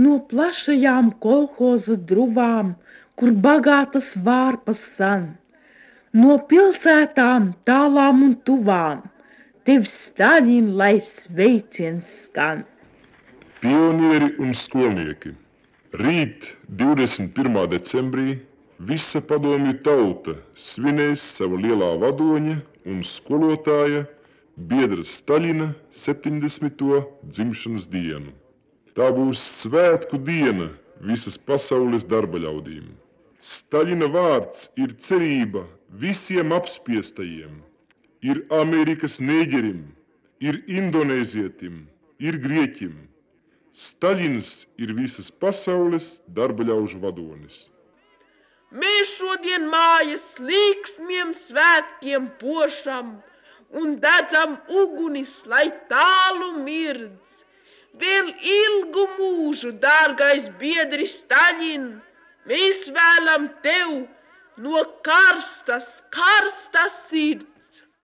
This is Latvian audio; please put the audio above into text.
No plašajām kolhoza druvām, kur bagātas vārpas san, no pilsētām tālām un tuvām, tev Staļin, lai sveiciens skan. Pionieri un skolnieki. Rīt, 21. decembrī, visa padomju tauta svinēs savu lielā vadoņa un skolotāja biedra Staļina 70. dzimšanas dienu. Tā būs svētku diena visas pasaules darba ļaudīm. Staļina vārds ir cerība visiem apspiestajiem, ir Amerikas nēģerim, ir indonēzietim, ir grieķim. Staļins ir visas pasaules darba ļaužu vadonis. Mēs šodien mājas līksmiem svētkiem pošam un dedzam ugunis, lai tālu mirdz. Vēl ilgu mūžu, dārgais biedri Staļin, mēs vēlam tev no karstas sirds